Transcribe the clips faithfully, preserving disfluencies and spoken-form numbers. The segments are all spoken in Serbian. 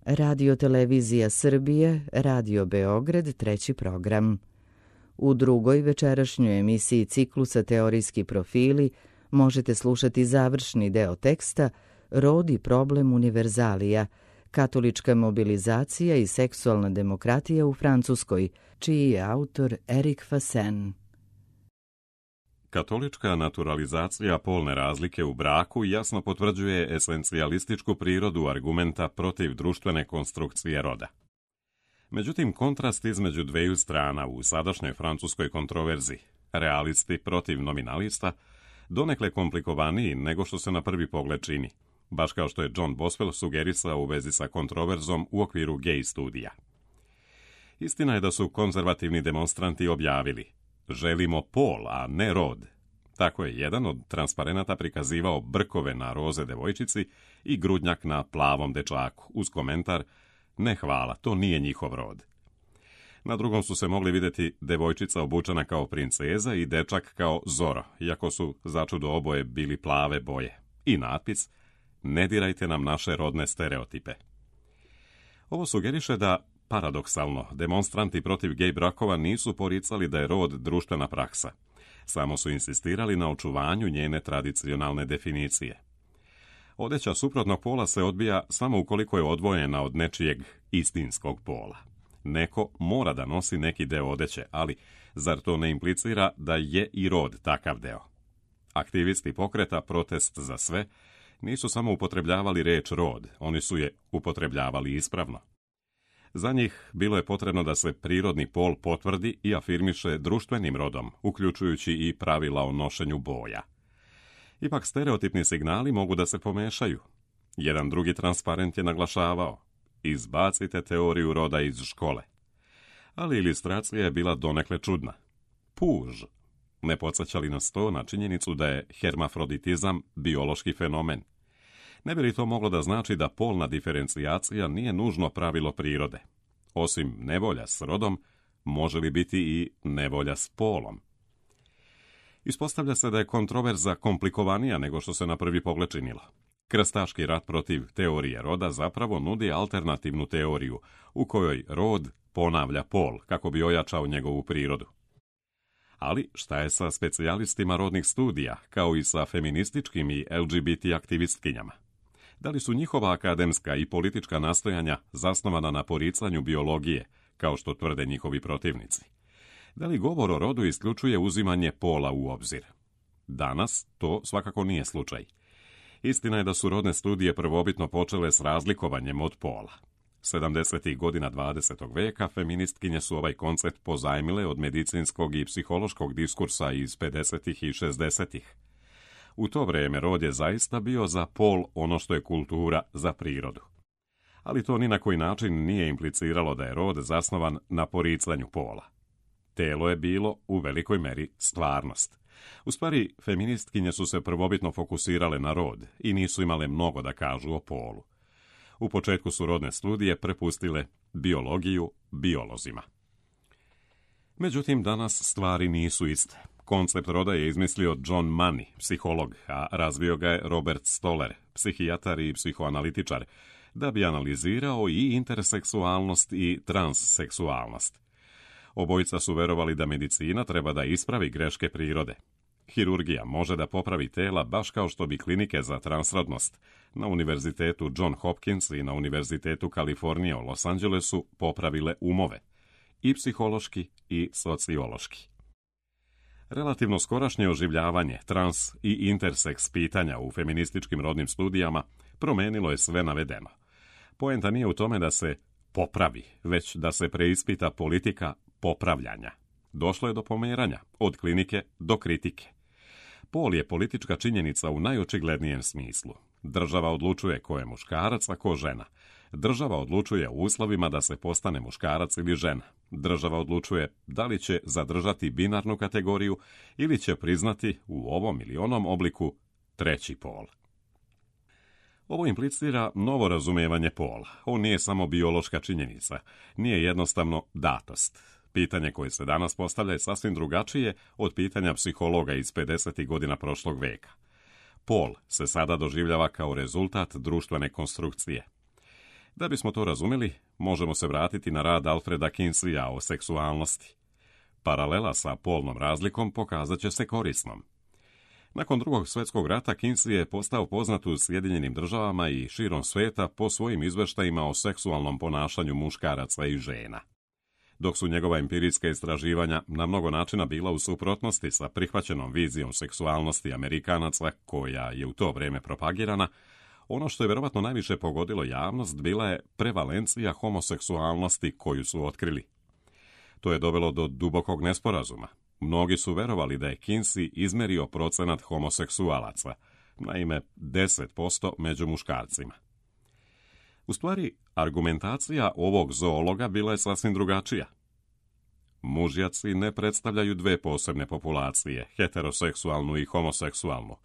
Radio Televizija Srbije, Radio Beograd, treći program. U drugoj večerašnjoj emisiji ciklusa Teorijski profili možete slušati završni deo teksta Rod i problem univerzalija, katolička mobilizacija i seksualna demokratija u Francuskoj, čiji je autor Erik Fasen. Katolička naturalizacija polne razlike u braku jasno potvrđuje esencijalističku prirodu argumenta protiv društvene konstrukcije roda. Međutim, kontrast između dveju strana u sadašnjoj francuskoj kontroverzi, realisti protiv nominalista, donekle komplikovaniji nego što se na prvi pogled čini, baš kao što je John Boswell sugerisao u vezi sa kontroverzom u okviru gay studija. Istina je da su konzervativni demonstranti objavili: želimo pol, a ne rod. Tako je jedan od transparenata prikazivao brkove na roze devojčici i grudnjak na plavom dečaku, uz komentar: ne hvala, to nije njihov rod. Na drugom su se mogli vidjeti devojčica obučena kao princeza i dečak kao Zoro, iako su začudo oboje bili plave boje. I natpis: ne dirajte nam naše rodne stereotipe. Ovo sugeriše da, paradoksalno, demonstranti protiv gej brakova nisu poricali da je rod društvena praksa. Samo su insistirali na očuvanju njene tradicionalne definicije. Odeća suprotnog pola se odbija samo ukoliko je odvojena od nečijeg istinskog pola. Neko mora da nosi neki deo odeće, ali zar to ne implicira da je i rod takav deo? Aktivisti pokreta Protest za sve nisu samo upotrebljavali reč rod, oni su je upotrebljavali ispravno. Za njih bilo je potrebno da se prirodni pol potvrdi i afirmiše društvenim rodom, uključujući i pravila o nošenju boja. Ipak stereotipni signali mogu da se pomešaju. Jedan drugi transparent je naglašavao: izbacite teoriju roda iz škole. Ali ilustracija je bila donekle čudna. Puž. Ne podsjeća li nas to na činjenicu da je hermafroditizam biološki fenomen? Ne bi li to moglo da znači da polna diferencijacija nije nužno pravilo prirode? Osim nevolja s rodom, može li biti i nevolja s polom? Ispostavlja se da je kontroverza komplikovanija nego što se na prvi pogled činilo. Krstaški rat protiv teorije roda zapravo nudi alternativnu teoriju, u kojoj rod ponavlja pol, kako bi ojačao njegovu prirodu. Ali šta je sa specijalistima rodnih studija, kao i sa feminističkim i L G B T aktivistkinjama? Da li su njihova akademska i politička nastojanja zasnovana na poricanju biologije, kao što tvrde njihovi protivnici? Da li govor o rodu isključuje uzimanje pola u obzir? Danas to svakako nije slučaj. Istina je da su rodne studije prvobitno počele s razlikovanjem od pola. sedamdesetih godina dvadesetog veka feministkinje su ovaj koncept pozajmile od medicinskog i psihološkog diskursa iz pedesetih i šezdesetih. U to vrijeme rod je zaista bio za pol ono što je kultura za prirodu. Ali to ni na koji način nije impliciralo da je rod zasnovan na poricanju pola. Telo je bilo u velikoj meri stvarnost. U stvari, feministkinje su se prvobitno fokusirale na rod i nisu imale mnogo da kažu o polu. U početku su rodne studije prepustile biologiju biolozima. Međutim, danas stvari nisu iste. Koncept roda je izmislio John Money, psiholog, a razvio ga je Robert Stoller, psihijatar i psihoanalitičar, da bi analizirao i interseksualnost i transseksualnost. Obojica su verovali da medicina treba da ispravi greške prirode. Hirurgija može da popravi tela baš kao što bi klinike za transrodnost na Univerzitetu John Hopkins i na Univerzitetu Kalifornije u Los Angelesu popravile umove, i psihološki i sociološki. Relativno skorašnje oživljavanje trans i interseks pitanja u feminističkim rodnim studijama promenilo je sve navedeno. Poenta nije u tome da se popravi, već da se preispita politika popravljanja. Došlo je do pomeranja, od klinike do kritike. Pol je politička činjenica u najočiglednijem smislu. Država odlučuje ko je muškarac, a ko žena. Država odlučuje o uslovima da se postane muškarac ili žena. Država odlučuje da li će zadržati binarnu kategoriju ili će priznati u ovom ili onom obliku treći pol. Ovo implicira novo razumijevanje pola. On nije samo biološka činjenica, nije jednostavno datost. Pitanje koje se danas postavlja je sasvim drugačije od pitanja psihologa iz pedesetih godina prošlog veka. Pol se sada doživljava kao rezultat društvene konstrukcije. Da bismo to razumjeli, možemo se vratiti na rad Alfreda Kinseya o seksualnosti. Paralela sa polnom razlikom pokazat će se korisnom. Nakon drugog svjetskog rata Kinsey je postao poznat u Sjedinjenim državama i širom svijeta po svojim izvještajima o seksualnom ponašanju muškaraca i žena. Dok su njegova empirijska istraživanja na mnogo načina bila u suprotnosti sa prihvaćenom vizijom seksualnosti Amerikanaca koja je u to vrijeme propagirana, ono što je vjerovatno najviše pogodilo javnost bila je prevalencija homoseksualnosti koju su otkrili. To je dovelo do dubokog nesporazuma. Mnogi su verovali da je Kinsey izmerio procenat homoseksualaca, naime deset posto među muškarcima. U stvari, argumentacija ovog zoologa bila je sasvim drugačija. Mužjaci ne predstavljaju dve posebne populacije, heteroseksualnu i homoseksualnu.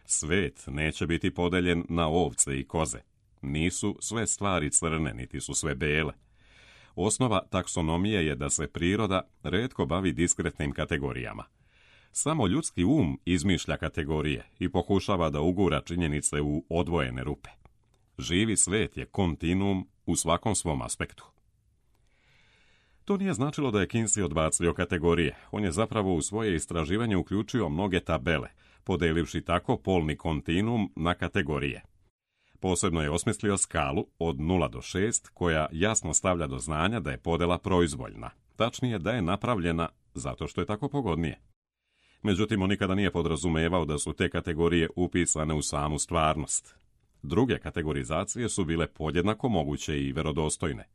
Svet neće biti podeljen na ovce i koze. Nisu sve stvari crne, niti su sve bele. Osnova taksonomije je da se priroda retko bavi diskretnim kategorijama. Samo ljudski um izmišlja kategorije i pokušava da ugura činjenice u odvojene rupe. Živi svet je kontinuum u svakom svom aspektu. To nije značilo da je Kinsey odbacio kategorije. On je zapravo u svoje istraživanje uključio mnoge tabele, podelivši tako polni kontinuum na kategorije. Posebno je osmislio skalu od nula do šest, koja jasno stavlja do znanja da je podela proizvoljna, tačnije da je napravljena zato što je tako pogodnije. Međutim, on nikada nije podrazumevao da su te kategorije upisane u samu stvarnost. Druge kategorizacije su bile podjednako moguće i verodostojne.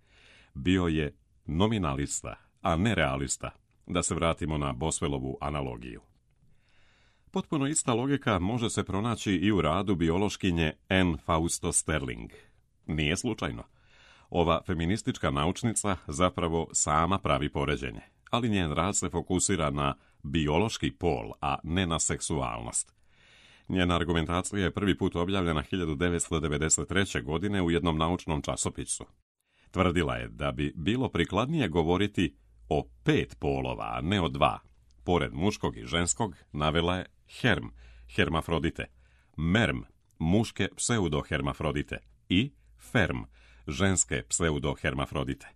Bio je nominalista, a ne realista, da se vratimo na Boswellovu analogiju. Potpuno ista logika može se pronaći i u radu biološkinje Anne Fausto Sterling. Nije slučajno. Ova feministička naučnica zapravo sama pravi poređenje, ali njen rad se fokusira na biološki pol, a ne na seksualnost. Njena argumentacija je prvi put objavljena hiljadu devetsto devedeset treće. godine u jednom naučnom časopisu. Tvrdila je da bi bilo prikladnije govoriti o pet polova, a ne o dva. Pored muškog i ženskog navela je herm, hermafrodite, merm, muške pseudohermafrodite i ferm, ženske pseudohermafrodite.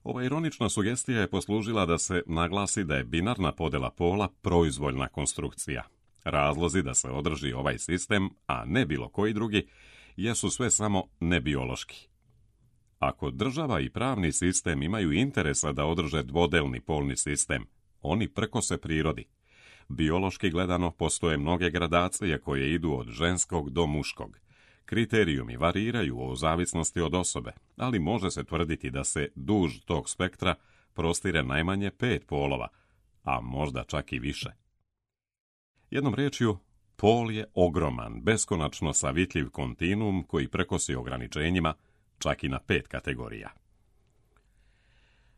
Ova ironična sugestija je poslužila da se naglasi da je binarna podela pola proizvoljna konstrukcija. Razlozi da se održi ovaj sistem, a ne bilo koji drugi, jesu sve samo nebiološki. Ako država i pravni sistem imaju interesa da održe dvodelni polni sistem, oni prkose prirodi. Biološki gledano postoje mnoge gradacije koje idu od ženskog do muškog. Kriterijumi variraju o zavisnosti od osobe, ali može se tvrditi da se duž tog spektra prostire najmanje pet polova, a možda čak i više. Jednom riječju, pol je ogroman, beskonačno savitljiv kontinuum koji prkosi ograničenjima čak i na pet kategorija.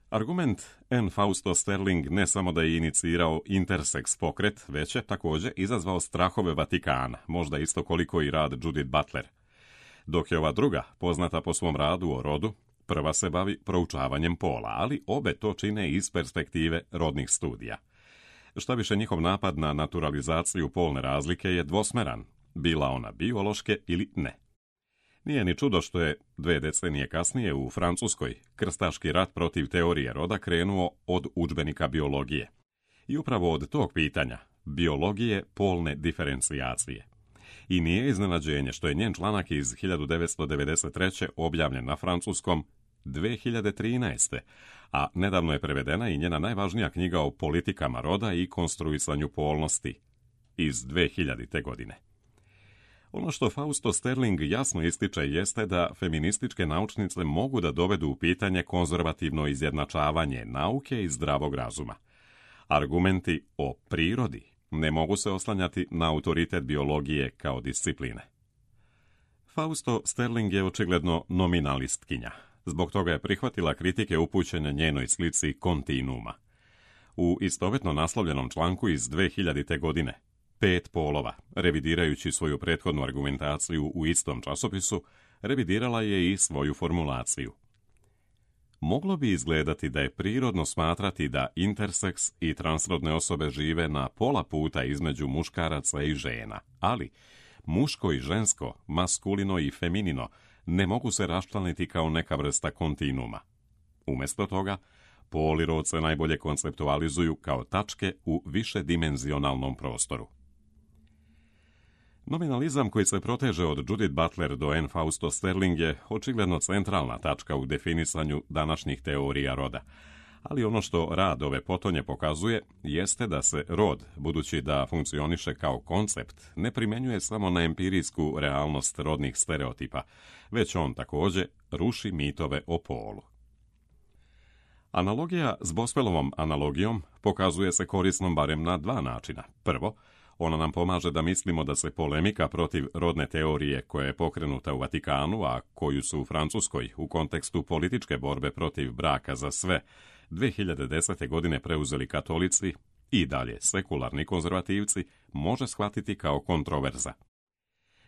Argument Anne Fausto Sterling ne samo da je inicirao interseks pokret, već je također izazvao strahove Vatikana, možda isto koliko i rad Judith Butler. Dok je ova druga, poznata po svom radu o rodu, prva se bavi proučavanjem pola, ali obe to čine iz perspektive rodnih studija. Šta više, njihov napad na naturalizaciju polne razlike je dvosmeran, bila ona biološke ili ne. Nije ni čudo što je dve decenije kasnije u Francuskoj krstaški rat protiv teorije roda krenuo od udžbenika biologije. I upravo od tog pitanja, biologije polne diferencijacije. I nije iznenađenje što je njen članak iz hiljadu devetsto devedeset treće. objavljen na francuskom dve hiljade trinaeste. a nedavno je prevedena i njena najvažnija knjiga o politikama roda i konstruisanju polnosti iz dve hiljadite. godine. Ono što Fausto Sterling jasno ističe jeste da feminističke naučnice mogu da dovedu u pitanje konzervativno izjednačavanje nauke i zdravog razuma. Argumenti o prirodi ne mogu se oslanjati na autoritet biologije kao discipline. Fausto Sterling je očigledno nominalistkinja. Zbog toga je prihvatila kritike upućene njenoj slici kontinuuma. U istovetno naslovljenom članku iz dve hiljadite. godine, Pet polova, revidirajući svoju prethodnu argumentaciju u istom časopisu, revidirala je i svoju formulaciju. Moglo bi izgledati da je prirodno smatrati da interseks i transrodne osobe žive na pola puta između muškaraca i žena, ali muško i žensko, maskulino i feminino, ne mogu se raščlaniti kao neka vrsta kontinuuma. Umjesto toga, pol i rod se najbolje konceptualizuju kao tačke u višedimenzionalnom prostoru. Nominalizam koji se proteže od Judith Butler do Anne Fausto Sterling je očigledno centralna tačka u definisanju današnjih teorija roda, ali ono što rad ove potonje pokazuje jeste da se rod, budući da funkcioniše kao koncept, ne primjenjuje samo na empirijsku realnost rodnih stereotipa, već on također ruši mitove o polu. Analogija s Boswellovom analogijom pokazuje se korisnom barem na dva načina. Prvo, ona nam pomaže da mislimo da se polemika protiv rodne teorije koja je pokrenuta u Vatikanu, a koju su u Francuskoj u kontekstu političke borbe protiv braka za sve dve hiljade desete. godine preuzeli katolici i dalje sekularni konzervativci, može shvatiti kao kontroverza.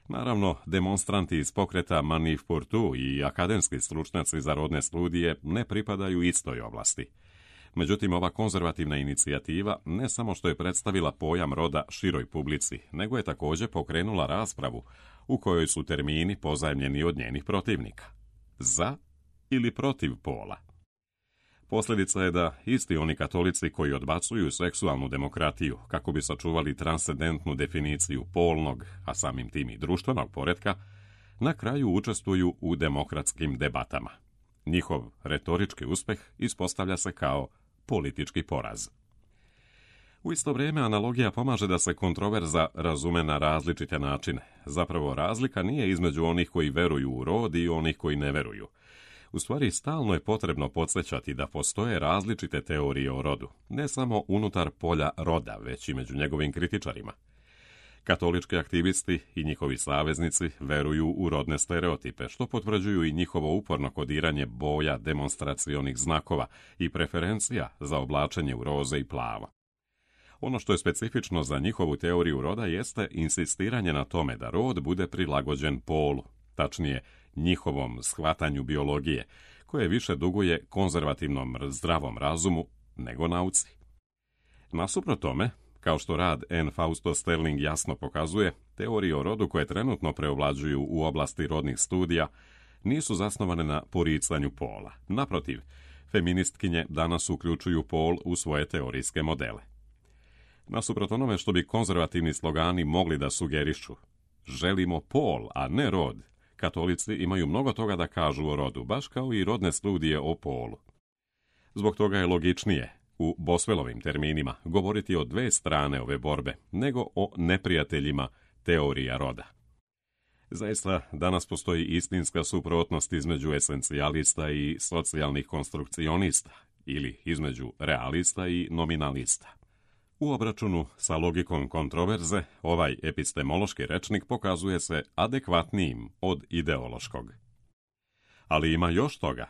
Naravno, demonstranti iz pokreta Manif pour tout i akademski stručnjaci za rodne studije ne pripadaju istoj oblasti. Međutim, ova konzervativna inicijativa ne samo što je predstavila pojam roda široj publici, nego je također pokrenula raspravu u kojoj su termini pozajmljeni od njenih protivnika. Za ili protiv pola. Posljedica je da isti oni katolici koji odbacuju seksualnu demokratiju kako bi sačuvali transcendentnu definiciju polnog, a samim tim i društvenog poretka, na kraju učestvuju u demokratskim debatama. Njihov retorički uspeh ispostavlja se kao politički poraz. U isto vrijeme analogija pomaže da se kontroverza razume na različite načine. Zapravo razlika nije između onih koji veruju u rod i onih koji ne veruju. U stvari, stalno je potrebno podsjećati da postoje različite teorije o rodu, ne samo unutar polja roda, već i među njegovim kritičarima. Katolički aktivisti i njihovi saveznici veruju u rodne stereotipe, što potvrđuju i njihovo uporno kodiranje boja, demonstracionih znakova i preferencija za oblačenje u roze i plavo. Ono što je specifično za njihovu teoriju roda jeste insistiranje na tome da rod bude prilagođen polu, tačnije njihovom shvatanju biologije, koje više duguje konzervativnom zdravom razumu nego nauci. Nasuprot tome, kao što rad Anne Fausto Sterling jasno pokazuje, teorije o rodu koje trenutno preovlađuju u oblasti rodnih studija nisu zasnovane na poricanju pola. Naprotiv, feministkinje danas uključuju pol u svoje teorijske modele. Nasuprot onome što bi konzervativni slogani mogli da sugerišu, želimo pol, a ne rod, katolici imaju mnogo toga da kažu o rodu, baš kao i rodne studije o polu. Zbog toga je logičnije, u Boswellovim terminima, govoriti o dve strane ove borbe, nego o neprijateljima teorija roda. Zaista, danas postoji istinska suprotnost između esencijalista i socijalnih konstrukcionista, ili između realista i nominalista. U obračunu sa logikom kontroverze, ovaj epistemološki rečnik pokazuje se adekvatnijim od ideološkog. Ali ima još toga.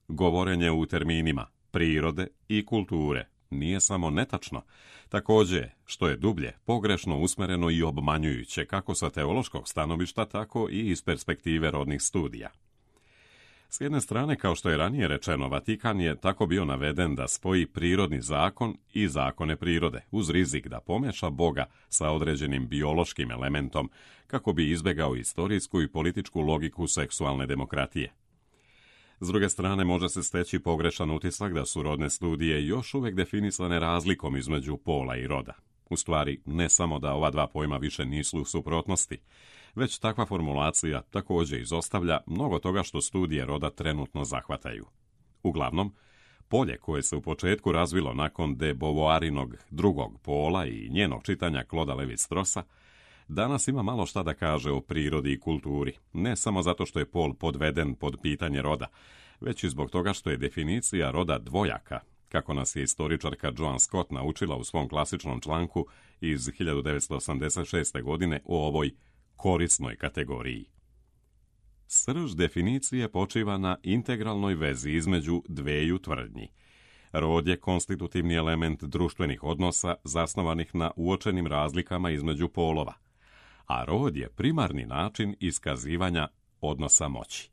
Govorenje u terminima prirode i kulture nije samo netačno, također, što je dublje, pogrešno usmereno i obmanjujuće kako sa teološkog stanovišta, tako i iz perspektive rodnih studija. S jedne strane, kao što je ranije rečeno, Vatikan je tako bio naveden da spoji prirodni zakon i zakone prirode, uz rizik da pomeša Boga sa određenim biološkim elementom, kako bi izbjegao istorijsku i političku logiku seksualne demokratije. S druge strane, može se steći pogrešan utisak da su rodne studije još uvijek definisane razlikom između pola i roda. U stvari, ne samo da ova dva pojma više nisu u suprotnosti, već takva formulacija također izostavlja mnogo toga što studije roda trenutno zahvataju. Uglavnom, polje koje se u početku razvilo nakon de Beauvoirinog drugog pola i njenog čitanja Clauda Levi-Straussa, danas ima malo šta da kaže o prirodi i kulturi, ne samo zato što je pol podveden pod pitanje roda, već i zbog toga što je definicija roda dvojaka, kako nas je istoričarka Joan Scott naučila u svom klasičnom članku iz hiljadu devetsto osamdeset šeste. godine o ovoj korisnoj kategoriji. Srž definicije počiva na integralnoj vezi između dveju tvrdnji. Rod je konstitutivni element društvenih odnosa zasnovanih na uočenim razlikama između polova, a rod je primarni način iskazivanja odnosa moći.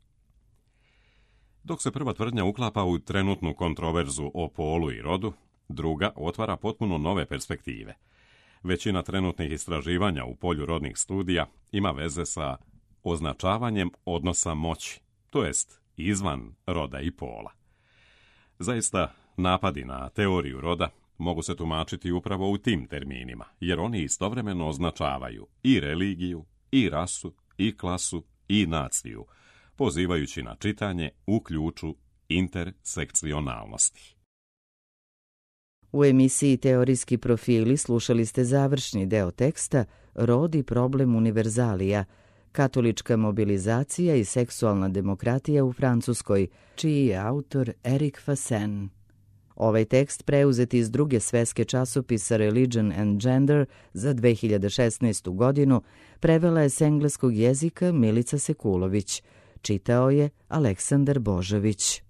Dok se prva tvrdnja uklapa u trenutnu kontroverzu o polu i rodu, druga otvara potpuno nove perspektive. Većina trenutnih istraživanja u polju rodnih studija ima veze sa označavanjem odnosa moći, to jest izvan roda i pola. Zaista, napadi na teoriju roda mogu se tumačiti upravo u tim terminima, jer oni istovremeno označavaju i religiju, i rasu, i klasu, i naciju, pozivajući na čitanje u ključu intersekcionalnosti. U emisiji Teorijski profili slušali ste završni deo teksta Rod i problem univerzalija, katolička mobilizacija i seksualna demokratija u Francuskoj, čiji je autor Eric Fassin. Ovaj tekst preuzet iz druge sveske časopisa Religion and Gender za dve hiljade šesnaestu godinu prevela je s engleskog jezika Milica Sekulović. Čitao je Aleksandar Božović.